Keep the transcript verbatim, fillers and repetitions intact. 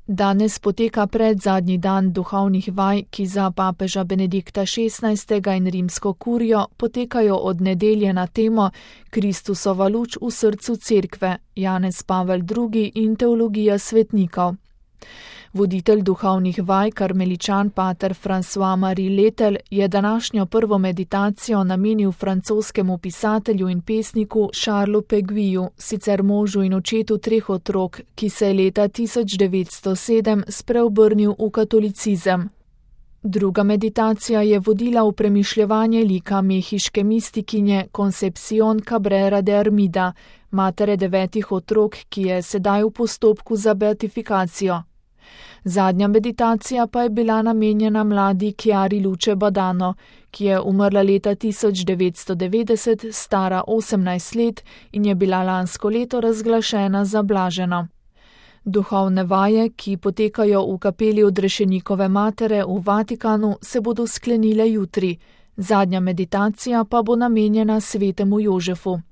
Danes poteka predzadnji dan duhovnih vaj, ki za papeža Benedikta šestnajstega in rimsko kurijo potekajo od nedelje na temo Kristusova luč v srcu cerkve, Janez Pavel drugi in teologija svetnikov. Voditelj duhovnih vaj, karmeličan pater François-Marie Letel, je današnjo prvo meditacijo namenil francoskemu pisatelju in pesniku Charlesu Péguiu, sicer možu in očetu treh otrok, ki se je leta tisoč devetsto sedem spreobrnil v katolicizem. Druga meditacija je vodila v premišljevanje lika mehiške mistikinje Concepción Cabrera de Armida, matere devetih otrok, ki je sedaj v postopku za beatifikacijo. Zadnja meditacija pa je bila namenjena mladi Chiari Luce Badano, ki je umrla leta tisoč devetsto devetdeset, stara osemnajst let in je bila lansko leto razglašena za blaženo. Duhovne vaje, ki potekajo v kapeli Odrešenikove matere v Vatikanu, se bodo sklenile jutri. Zadnja meditacija pa bo namenjena svetemu Jožefu.